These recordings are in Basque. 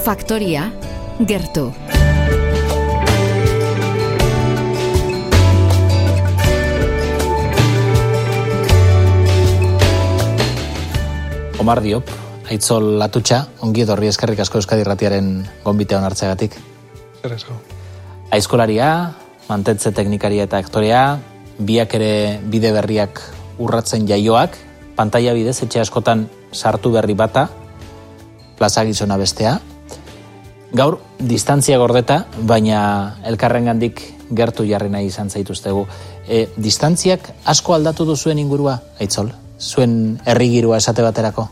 Faktoria, gertu. Omar Diop, Aitzol Atutxa, ongi etorri, eskerrik asko Euskadi Irratiaren gonbitea onartzeagatik. Eresko. Aizkolaria, mantentze teknikaria eta aktorea, biak ere bide berriak urratzen jaioak, pantaila bidez etxe askotan sartu berri bata, plaza gizona bestea. Gaur, distantzia gordeta, baina elkarrengandik gertu jarri nahi izan zaituztegu. Distantziak asko aldatu duzuen ingurua, Aitzol? Zuen herrigirua esate baterako?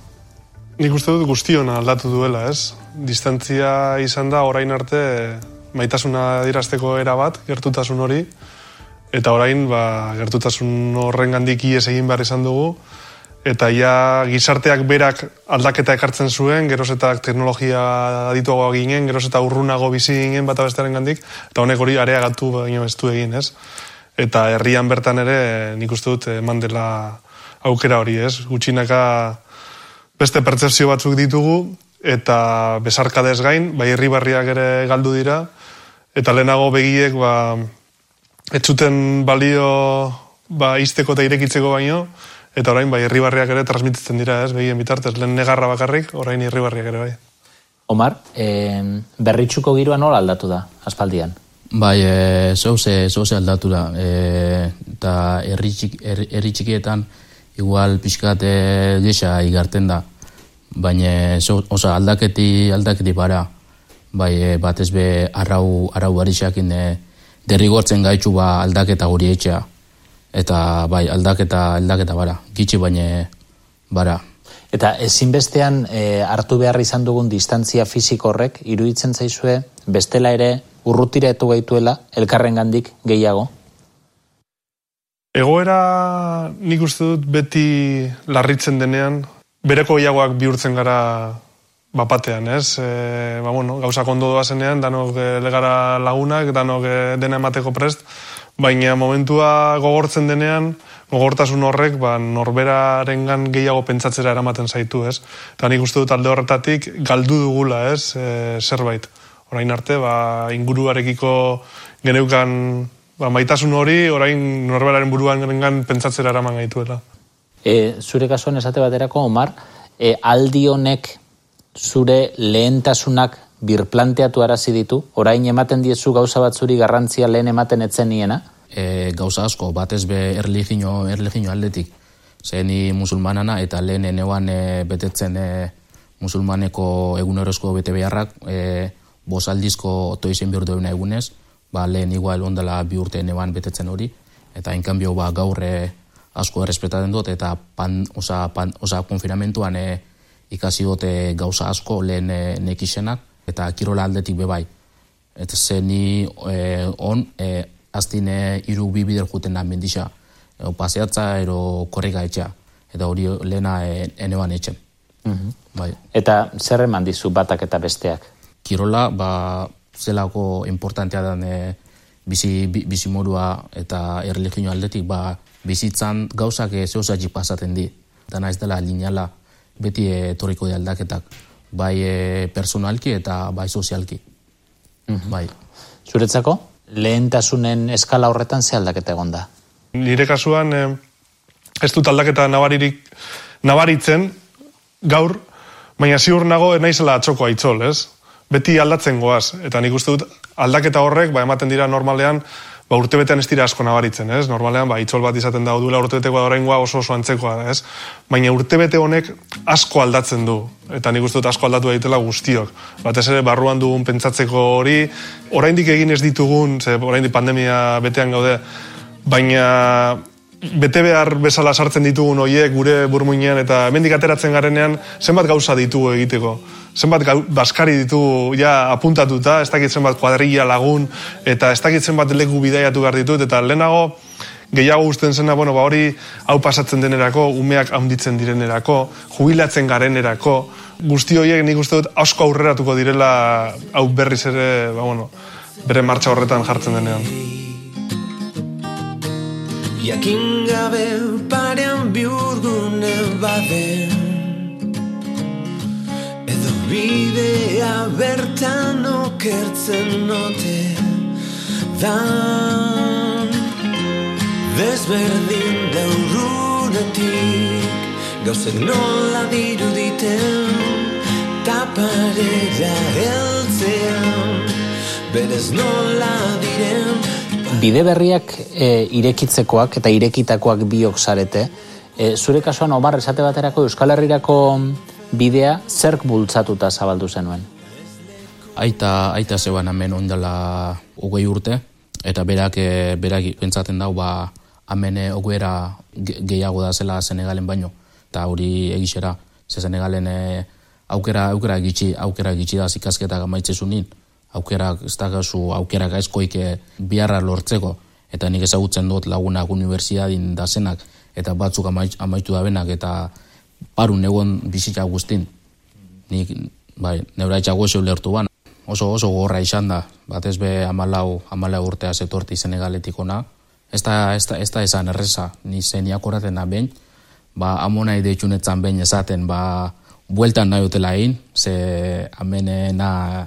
Nik uste dut guztiona aldatu duela, ez? Distantzia izan da orain arte maitasuna adierazteko era bat, gertutasun hori, eta orain gertutasun horrengandik ihes egin behar izan dugu, eta ja gizarteak berak aldaketa ekartzen zuen, geroz eta teknologia adituagoa ginen, geroz eta urrunago bizi ginen bata bestearen gandik, eta honek hori areagatu baino ez du egin, ez? Eta herrian bertan ere nik uste dut eman dela aukera hori, ez? Gutxinaka beste pertzepzio batzuk ditugu, eta besarkadez gain, irribarriak ere galdu dira, eta lehenago begiek ez zuten balio izteko eta irekitzeko baino, eta orain irribarriak ere transmititzen dira, ez? Begien bitartez, lehen negarra bakarrik, orain irribarriak ere bai. Omar, berritxuko giroa nola aldatu da, aspaldian? Zeuze aldatu da, eta herri txikietan igual pixkat gisa igarten da, baina aldaketi bara, batez be arrau barixakin derrigortzen gaitxu aldaketa hori etxea, eta aldaketa bara, gitxi baina bara. Eta ezinbestean hartu behar izan dugun distantzia fisiko horrek iruditzen zaizue bestela ere urrutiratu gaituela elkarrengandik gehiago? Egoera nik uste dut beti larritzen denean, bereko gehiagoak bihurtzen gara bapatean, ez? Gauzak ondo doazenean, danok legara lagunak, danok dena emateko prest, baina momentua gogortzen denean, gogortasun horrek norberarengan gehiago pentsatzera eramaten zaitu, ez? Eta nik uste dut alde horretatik galdu dugula, ez? Zerbait. Orain arte, inguruarekiko geneukan maitasun hori, orain norberaren buruan pentsatzera eraman gaituela. Zure kasuan esate baterako, Omar, aldi honek zure lehentasunak birplanteatu arazi ditu? Orain ematen diezu gauza batzuri garrantzia lehen ematen etzen niena? Gauza asko, batez be erlijio aldetik. Zeni musulmanana eta lehen enean betetzen musulmaneko egunerozko bete beharrak, bosaldizko otoizen bihur duena egunez, lehen igual ondala bi urte neban betetzen hori, eta enkanbio gaur asko errespetaten dut, eta konfinamentuan ikasi dute gauza asko lehen nekisenak, eta kirola aldetik bebai. Eta zeni aztin iru bi bider juten da mendisa, paseatza ero korrega etxea, eta hori lehena eneban etxen. Eta zer eman dizu batak eta besteak? Kirola, zelako importantea den bizimorua eta erlijio aldetik, bizitzan gauzak zeuzatik pasaten di. Eta naiz dela lineala beti etorriko di aldaketak, bai personalki eta bai sozialki. Zuretzako, lehentasunen eskala horretan ze aldaketa egon da? Nire kasuan ez dut aldaketa nabaritzen gaur, baina ziur nago naizela atzoko Aitzol, ez? Beti aldatzen goaz, eta nik uste dut aldaketa horrek, ematen dira normalean, urtebetean ez dira asko nabaritzen, ez? Normalean, Aitzol bat izaten da, duela urtebetekoa da oraingoa oso antzekoa da, ez? Baina urtebete honek asko aldatzen du, eta nik uste dut asko aldatu daitela guztiok. Batez ere, barruan dugun pentsatzeko hori, oraindik egin ez ditugun, oraindik pandemia betean gaude, baina bete behar bezala sartzen ditugun hoiek gure burmuinean, eta hemendik ateratzen garenean, zenbat gauza ditugu egiteko. Zenbat baskari ditugu apuntatuta, ez dakit zenbat kuadrilla lagun, eta ez dakit zenbat leku bidaiatu behar ditut, eta lehenago gehiago usten zena, hori hau pasatzen denerako, umeak handitzen direnerako, jubilatzen garenerako, guzti horiek nik uste dut asko aurreratuko direla hau berriz ere, bere martxa horretan jartzen denean. Jakin gabe parean bihurgune baden, edo bidea bertan Tan okertzen note dan Desberdin daurunetik Gauzek nola diruditen Taparera heltzean Berez nola diren Bide berriak irekitzekoak eta irekitakoak biok zarete. Zure kasuan Omar esate baterako Euskal Herrirako bidea zerk bultzatuta zabaldu zenuen? Aita zeban hemen ondala 20 urte, eta berak pentsaten dau, hemen ogoera gehiago da zela Senegalen baino, eta hori egixera, ze Senegalen aukera gitxi da ikasketak amaitzezunin, aukerak aizkoik biharra lortzeko, eta nik ezagutzen dut lagunak unibertsiadin da zenak, eta batzuk amaitu da benak, eta parun egon bizitza guztin. Nik, neura etxago eze ulertu ban. Oso gorra izan da, batez be 14 urtea zetorti Senegaletik ona. Ez da esan erreza, ni zeniak oraten da behin, amonai deitxunetzan behin esaten, bueltan nahi utela egin, ze amenena,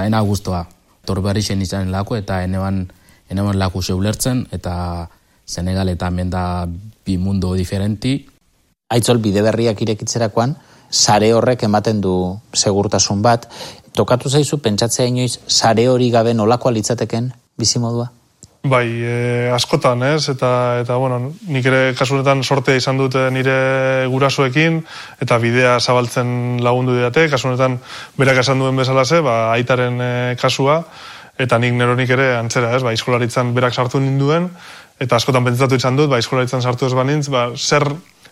ena guztua. Torbarixen izan lako, eta eneban lako ze ulertzen, eta Senegal eta hemen da bi mundo diferenti. Aitzol, bide berriak irekitzerakoan, sare horrek ematen du segurtasun bat. Tokatu zaizu pentsatzea inoiz sare hori gabe nolakoa litzateken bizimodua? Bai, askotan, ez? Eta bueno, nik ere kasunetan sortea izan dute nire gurasoekin, eta bidea zabaltzen lagundu didate, kasunetan berak esan duen bezalaze, aitaren kasua, eta nik neronik ere antzera, ez? Eskolaritzan berak sartu ninduen, eta askotan pentsatu izan dut, eskolaritzan sartu ez banintz,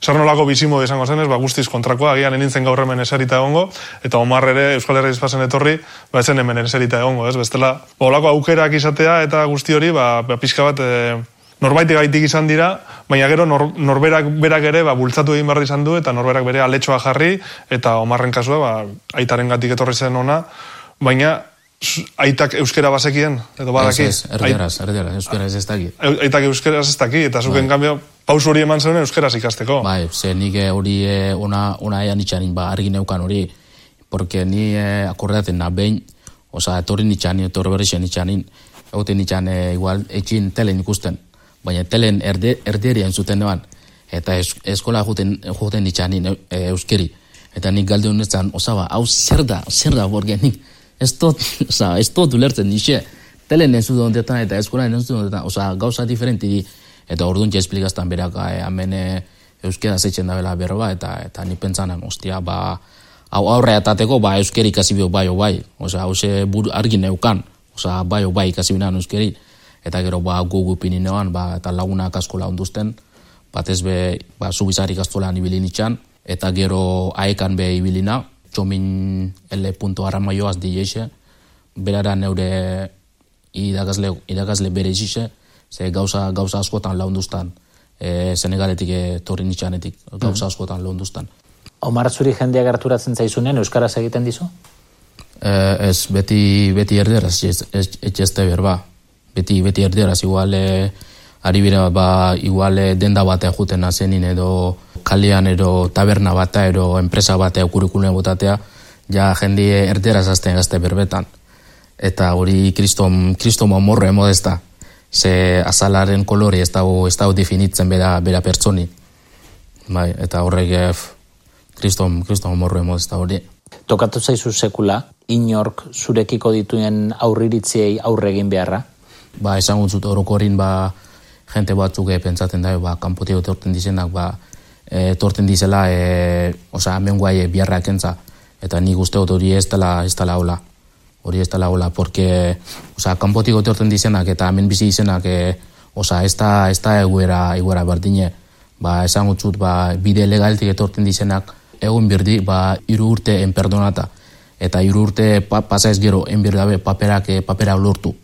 zer nolako bizimodu izango zen, guztiz kontrakoa, agian enintzen gaur hemen eserita egongo, eta Omar ere Euskal Herria izpazen etorri, etzen hemen eserita egongo, ez? Bestela, olako aukerak izatea eta guzti hori, pixka bat norbaitik gaitik izan dira, baina gero norberak berak ere bultzatu egin behar izan du, eta norberak bere aletxoa jarri, eta Omarren kasua, aitaren gatik etorri zen ona, baina aitak euskera bazekien, edo badaki? Ez, erderaz, euskera ez daki. Aitak euskera ez daki, eta zuken kambio, pausu hori eman zen euskeraz ikasteko. Ze nik hori ona ean itxanin, argi neukan hori, porque ni akordaten behin, etorri nitxanin, etorri berrixen itxanin, egoten nitxan igual etxin telen ikusten, baina telen erderien zuten neban, eta eskola joten nitxanin euskeri, eta nik galde honetan, hau zer da borgen nik, ez dut ulertzen nixe, telen ez dut hondetan eta eskola ez dut hondetan, gauza diferenti di, eta orduan esplikaztan berak hemen euskera zeitzen da bela berro eta ni pentsanan, aurre atateko euskeri ikasi bio bai, hause argi neukan, bai ikasi binan euskeri, eta gero gugu pininean, eta lagunak askola onduzten, batez be, zubizarik astolan ibilin itxan, eta gero aekan be ibilina, txomin L.Aramaioaz dieixe, berara neure irakasle bere izixe, ze gauza askotan launduztan, Senegaletik torri nitxanetik, gauza askotan launduztan. Omar, zuri jendeak harturatzen zaizunen, euskaraz egiten dizu? Ez, beti erderaz, etxezte berba. Beti erderaz, igual, ari bera, igual denda batea juten azenin edo kalean edo taberna batea edo enpresa batea kurikune botatea, ja jende erderaz azten gazte berbetan. Eta hori kristom amorro emodesta. Ze azalaren kolori ez dago definitzen bera pertsoni. Eta horrek kristom amorro emodesta hori. Tokatu zaizu sekula, inork zurekiko dituen aurriritziei aurre egin beharra? Esan guntzut orokorin, jente batzuk pentsaten da, kanpotik etorten dizenak, etorten dizela, hemen guai biharrak entza, eta nik uste dut hori ez dela hola. Hori ez dela hola, porque kanpotik etorten dizenak, eta hemen bizi dizenak, ez da eguera berdine. Esan gutzut, bide legaltik etorten dizenak, egun birdi, 3 urte enperdonata, eta 3 urte pasa ez gero, enbirdabe papera lortu.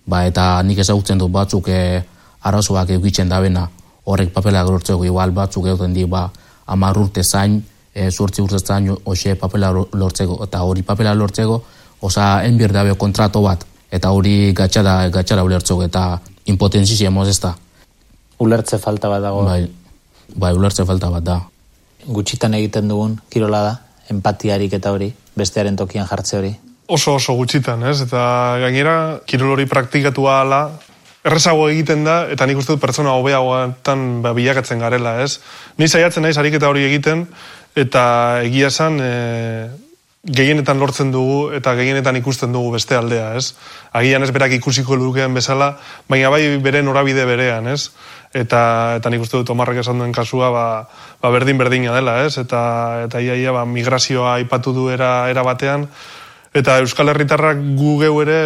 Eta nik ezagutzen dut batzuk arazoak egitzen dabena, horrek papela lortzeko, igual batzuk egiten di, 10 urte zain, 8 urte zain, hoxe papela lortzeko, eta hori papela lortzeko, enbir dabe kontrato bat, eta hori gatxara ulertzeko, eta impotenzizia moz ez da. Ulertze falta bat dago? Bai, ulertze falta bat da. Gutxitan egiten dugun kirola da, empatiarik eta hori, bestearen tokian jartze hori? oso gutxitan, ez? Eta gainera, kirol hori praktikatua ala, errezago egiten da, eta nik uste dut pertsona hobeagoetan bilakatzen garela, ez? Ni saiatzen naiz ariketa hori egiten, eta egia esan, gehienetan lortzen dugu, eta gehienetan ikusten dugu beste aldea, ez? Agian ez berak ikusiko lukeen bezala, baina bai bere norabide berean, ez? Eta nik uste dut Omarrek esan duen kasua, berdin-berdina dela, ez? Eta ia migrazioa aipatu du era batean, eta Euskal Herritarrak gu geu ere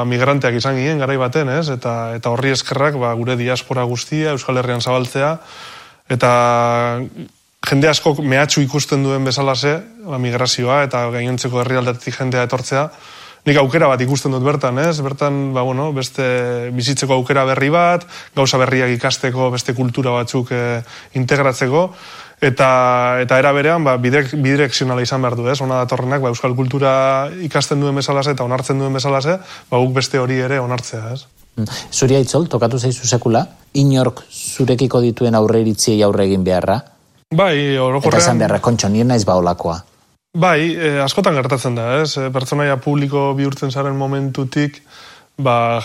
migranteak izan ginen garai baten, ez? Eta horri eskerrak gure diaspora guztia, Euskal Herrian zabaltzea, eta jende askok mehatxu ikusten duen bezalase, migrazioa, eta gainontzeko herrialdetik jendea etortzea, nik aukera bat ikusten dut bertan, ez? Bertan, beste bizitzeko aukera berri bat, gauza berriak ikasteko, beste kultura batzuk integratzeko, eta era berean bidirekzionala izan behar du, ez? Ona datorrenak euskal kultura ikasten duen bezalase eta onartzen duen bezalase, guk beste hori ere onartzea, ez? Zuri Aitzol, tokatu zaizu sekula, inork zurekiko dituen aurre iritziei aurre egin beharra? Bai, orokorrean... Eta esan beharra, kontxo, nien naiz baolakoa. Bai, askotan gertatzen da, ez? Pertsonaia publiko bihurtzen zaren momentutik,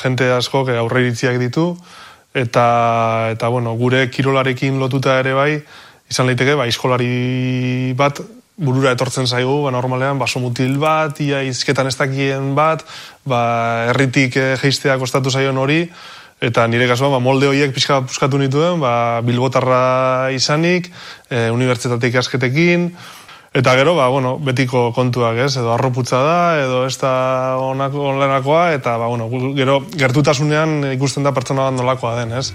jente askok aurre iritziak ditu, eta gure kirolarekin lotuta ere bai, izan leiteke, aizkolari bat burura etortzen zaigu, normalean, basomutil bat, ia izketan ez dakien bat, herritik jeistea kostatu zaion hori, eta nire kasuan, molde horiek pixka puskatu nituen, bilbotarra izanik, unibertsitateik asketekin, eta gero, betiko kontuak, ez, edo arroputza da, edo ez da onlenakoa, eta, gero, gertutasunean ikusten da pertsona bat nolakoa den, ez?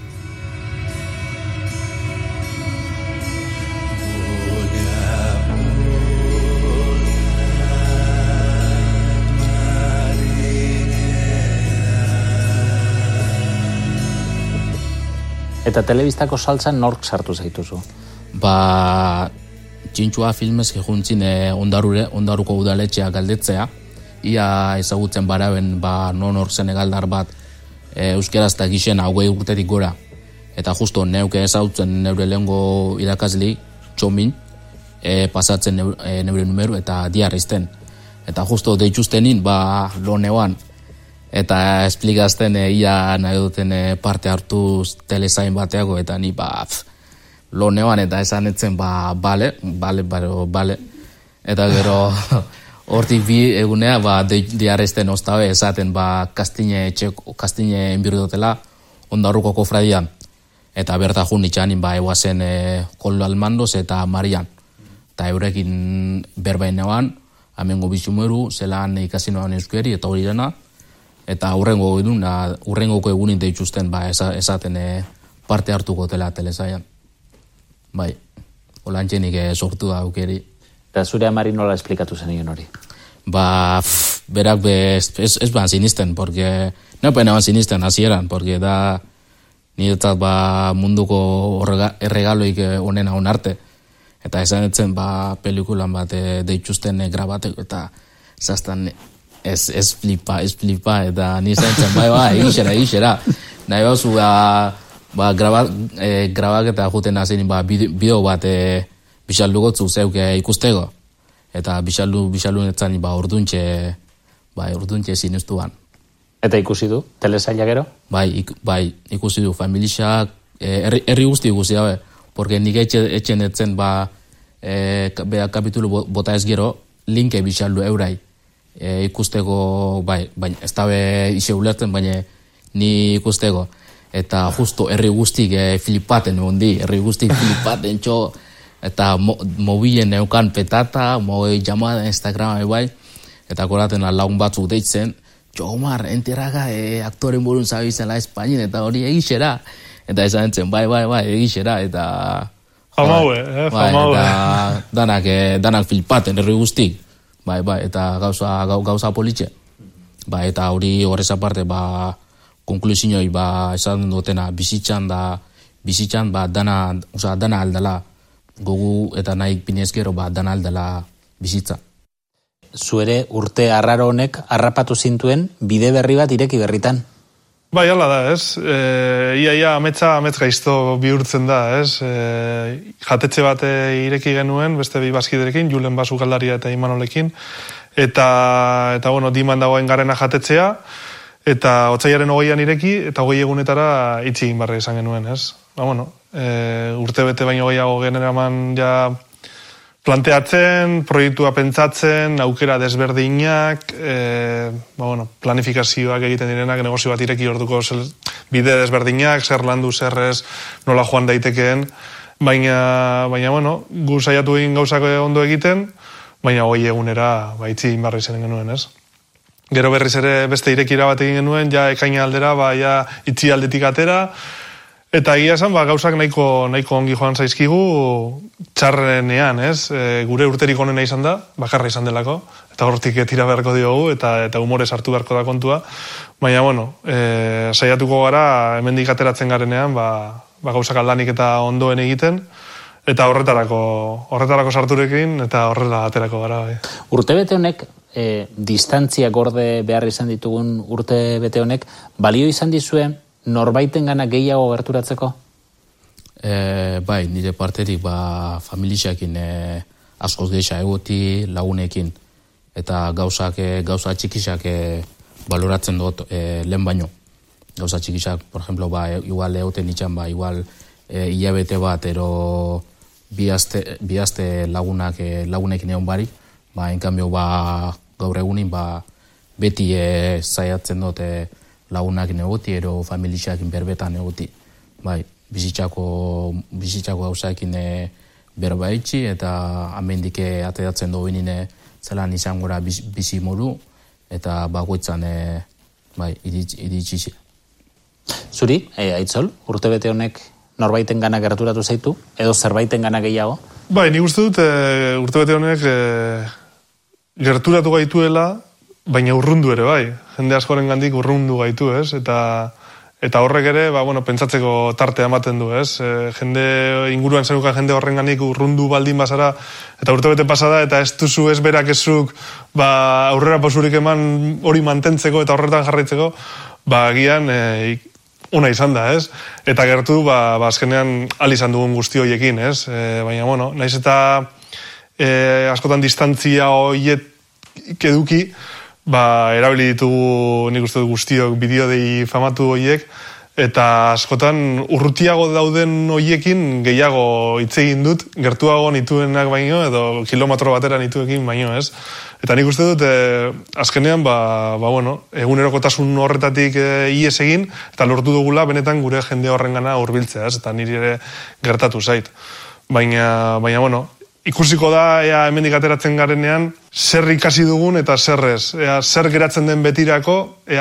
Eta telebistako saltzan nork sartu zaituzu? Txintxua filmez juntzin ondaruko udaletxea galdetzea. Ia ezagutzen baraben non hor senegaldar bat euskeraz eta gixen 20 urtetik gora. Eta justo neuke ezagutzen neure lehengo irakasli, txomin, pasatzen neure numeru eta diarrizten. Eta justo deituztenin lo neuan. Eta esplikazten ia nahi duten parte hartuz telesain bateago, eta ni lo neoan eta esan etzen bale. Eta gero hortik bi egunea diarrezten oztabe esaten kastine enbirudotela ondarruko kofradian. Eta berta jun itxanin eguazen Koldo Almandoz eta Marian. Eta eurekin berbain neoan, amengo bizumeru, zelan ikasinoan euskeri eta hori dena. Eta urrengoko egunin deituzten esaten parte hartuko dela telesaian. Bai, olantxenik sortu da aukeri. Eta zure amari nola esplikatu zen hori? Berak ez ban sinisten, porque neupen eban sinisten hasieran, porque da niretzat munduko erregaloik onena onarte. Eta esan etzen pelikulan bat deituzten grabateko eta zaztan ez flipa, eta nizan zen, egixera. Nahi bauzu, grabak eta juten azin, bideo bat bixaldugotzu zeuk ikustego. Eta bixaldu netzan, orduntxe sinustuan. Eta ikusi du, telesaila gero? Bai, ikusi du, familixak, herri guzti ikusi dabe, porque nik etxen etzen, bea kapitulu bota ez gero, linke bixaldu eurai. Ikusteko, baina ez dabe ise ulertzen, baina ni ikusteko. Eta justo herri guztik flipaten flipaten txo, eta mobilen neukan petata, llamada Instagram eta koraten lagun batzuk deitzen, Omar, enteraga aktoren burun zabizela Espainin, eta hori egixera. Eta esan entzen, bai, egixera, eta... Famaue. Eta danak flipaten herri guztik. Bai, eta gauza politxe. Eta hori horrez aparte, konklusioi, esan dutena, bizitzan, dana aldala, gogu eta nahi pinezkero, dana aldala bizitza. Zuere urte arraro honek harrapatu zintuen bide berri bat ireki berritan. Bai, hala da, ez? Ia amets gaizto bihurtzen da, ez? Jatetxe bat ireki genuen, beste bi bazkiderekin, Julen Basukaldaria eta Imanolekin, eta bueno, diman dagoen garena jatetzea, eta otsailaren 20an ireki, eta 20 egunetara itxi egin barra izan genuen, ez? Bueno, urte bete baino gehiago generaman ja planteatzen, proiektua pentsatzen, aukera desberdinak, bueno, planifikazioak egiten direnak, negozio bat ireki orduko bide desberdinak, zer landu, zerrez, nola joan daitekeen, baina bueno, gu saiatu egin gauzak ondo egiten, baina 20 egunera itxi egin barra izan genuen, ez? Gero berriz ere beste irekira bat egin genuen, ja ekaina aldera, ja itxi aldetik atera, eta egia esan, gauzak nahiko ongi joan zaizkigu txarrenean, ez? Gure urterik onena izan da, bakarra izan delako, eta hortik tira beharko diogu, eta humorez hartu beharko da kontua, baina, bueno, saiatuko gara, hemendik ateratzen garenean, gauzak aldanik eta ondoen egiten, eta horretarako sarturekin, eta horrela aterako gara. Urtebete honek, distantzia gorde behar izan ditugun urtebete honek, balio izan dizue norbaiten gana gehiago gerturatzeko? Bai, nire parterik familiakin askoz gehiago egoti lagunekin, eta gauza txikisak baloratzen dut lehen baino. Gauza txikisak, por ejemplo, igual egoten itxan, igual hilabete bat, ero bi aste lagunekin egon barik, en cambio, gaur egunin, beti zaiatzen dut lagunakin egoti, ero familiakin berbetan egoti. Bai, bizitzako gauzaekin berbaitzi, eta amendik ateratzen du benine zelan izan gora bizi modu, eta bakoitzan iritsi. Zuri, Aitzol, urtebete honek norbaiten gana gerturatu zaitu, edo zerbaiten gana gehiago? Bai, nik uste dut urtebete honek gerturatu gaituela, baina urrundu ere, bai. Jende askoren gandik urrundu gaitu, ez? Eta horrek ere, pentsatzeko tartea ematen du, ez? Jende inguruan zenuka jende horren gandik urrundu baldin bazara, eta urtebete pasada, eta ez duzu ez berak ezuk aurrera pausurik eman hori mantentzeko eta horretan jarraitzeko, agian ona izan da, ez? Eta gertu, azkenean izan dugun guzti horiekin, ez? Baina, bueno, naiz eta askotan distantzia horiek eduki, erabili ditugu nik uste dut guztiok bideodei famatu horiek, eta askotan urrutiago dauden horiekin gehiago hitz egin dut, gertuago nituenak baino, edo kilometro batera nituekin baino, ez? Eta nik uste dut, azkenean, bueno, egunerokotasun horretatik ies egin, eta lortu dugula benetan gure jende horrengana hurbiltzea, ez? Eta niri ere gertatu zait. Baina, bueno, ikusiko da, hemendik ateratzen garenean, zer ikasi dugun eta zer ez. Zer geratzen den betirako,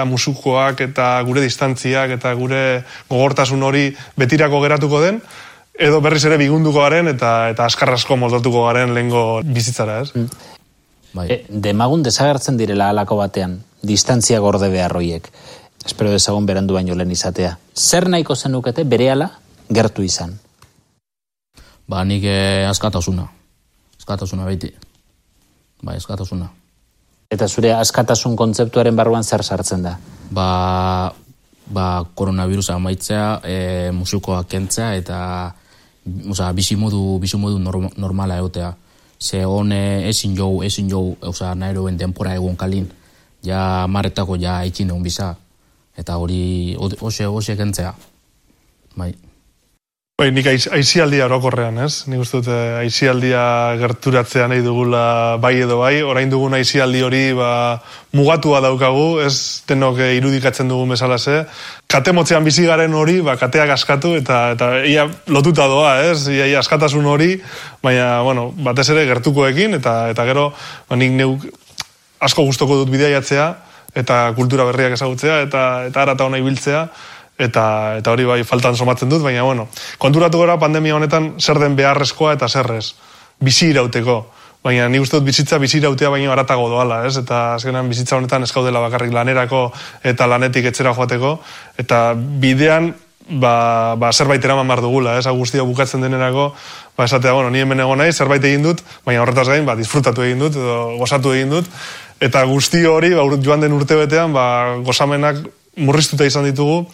musukoak eta gure distantziak eta gure gogortasun hori betirako geratuko den, edo berriz ere bigunduko garen eta askarrasko moldatuko garen lehengo bizitzara, ez? Demagun desagertzen direla halako batean, distantzia gorde behar hoiek. Espero dezagun berandu baino lehen izatea. Zer nahiko zenukete berehala gertu izan? Nik askatasuna. Askatasuna beti. Askatasuna. Eta zure askatasun kontzeptuaren barruan zer sartzen da? Koronavirusa amaitzea, musukoak kentzea, eta bizi modu normala egotea. Ze hone ezin jau, nahi eroen denpora egon kalin, ja marretako ja ikin egon biza, eta hori hoxe kentzea. Nik aizialdia orokorrean, ez? Nik uste dut aizialdia gerturatzea nahi dugula bai edo bai, orain dugun aizialdi hori mugatua daukagu, ez denok irudikatzen dugun bezalase. Kate motzean bizi garen hori, kateak askatu eta ia lotuta doa, ez? Ia askatasun hori, baina, bueno, batez ere gertukoekin, eta gero, nik neuk asko gustoko dut bidaiatzea, eta kultura berriak ezagutzea, eta harata hona ibiltzea, eta hori bai faltan somatzen dut, baina, bueno, konturatu gara pandemia honetan zer den beharrezkoa eta zerrez, bizi irauteko. Baina ni uste dut bizi irautea baino haratago doala, ez? Eta azkenan bizitza honetan ez gaudela bakarrik lanerako eta lanetik etxera joateko, eta bidean zerbait eraman behar dugula, ez? Guztia bukatzen denerako, esatea, bueno, ni hemen egon nahi, zerbait egin dut, baina horretaz gain, disfrutatu egin dut, edo gozatu egin dut, eta guzti hori, joan den urtebetean, gozamenak murriztuta izan ditugu,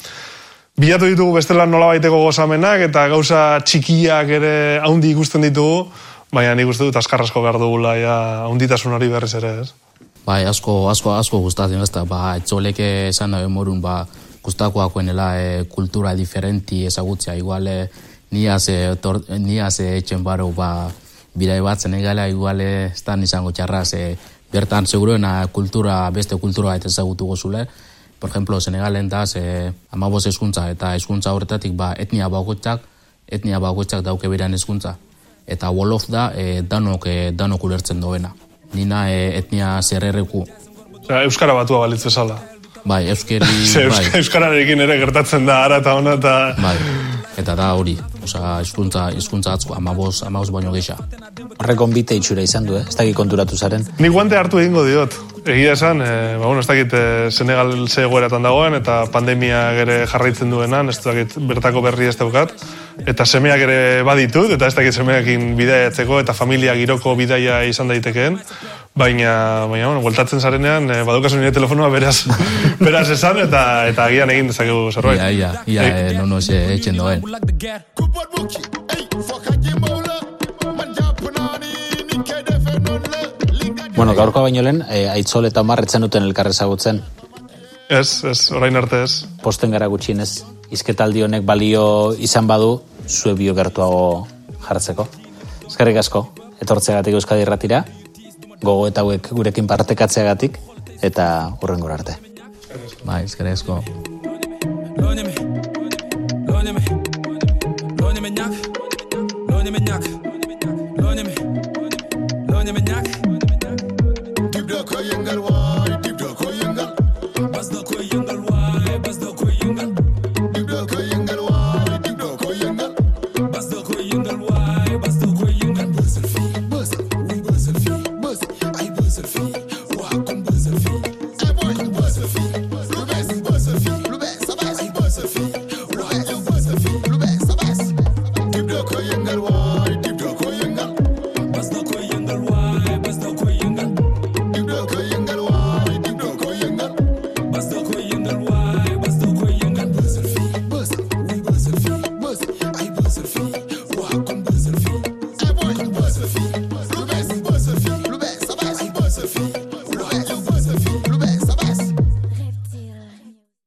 bilatu ditugu bestela nolabaiteko gozamenak, eta gauza txikiak ere haundi ikusten ditugu, baina nik uste dut askarrasko behar dugula, handitasun hori berriz ere, ez? Bai, asko gustatzen ezta, etxolek esan nahi morun, gustakoakoenela kultura diferenti ezagutzea, igual niaz etxen baro, birai batzen egala, igual estan izango txarraz, bertan seguruena beste kultura eta ezagutu gozule. Por ejemplo, Senegalen daz, 15 hezkuntza, eta hezkuntza horretatik etnia bakoitzak dauke beran hezkuntza. Eta Wolof da danok ulertzen doena. Nina etnia zerrereku. Euskara batua balitz bezala. Bai, Euskararekin ere gertatzen da, ara eta ona eta... Bai, eta da hori. Osa, hizkuntza atzko, 15 baino geisha. Horrek onbite itxura izan du, ez dakit konturatu zaren. Ni guante hartu egingo diot. Egia esan, ez dakit Senegal ze egoeratan dagoen, eta pandemia ere jarraitzen duenan, ez dakit bertako berri ez daukat. Eta semeak ere baditut, eta ez dakit semeakin bidaiatzeko, eta familia giroko bidaia izan daitekeen. Baina, bueltatzen zarenean, badukazu nire telefonoa beraz esan, eta agian egin dezakegu zerbait. Ia, no etxen doen. Bueno, gaurkoa baino lehen, Aitzol eta Omar etzen duten elkarrezagutzen. Ez, orain arte ez. Posten gara gutxienez, izketaldi honek balio izan badu, zue bio gertuago jartzeko. Eskerrik asko, etortzeagatik Euskadi Irratira, gogo eta hauek gurekin partekatzeagatik, eta hurrengora arte. Bai, eskerrik asko. Dip da koy yengal, bas da koy yengal.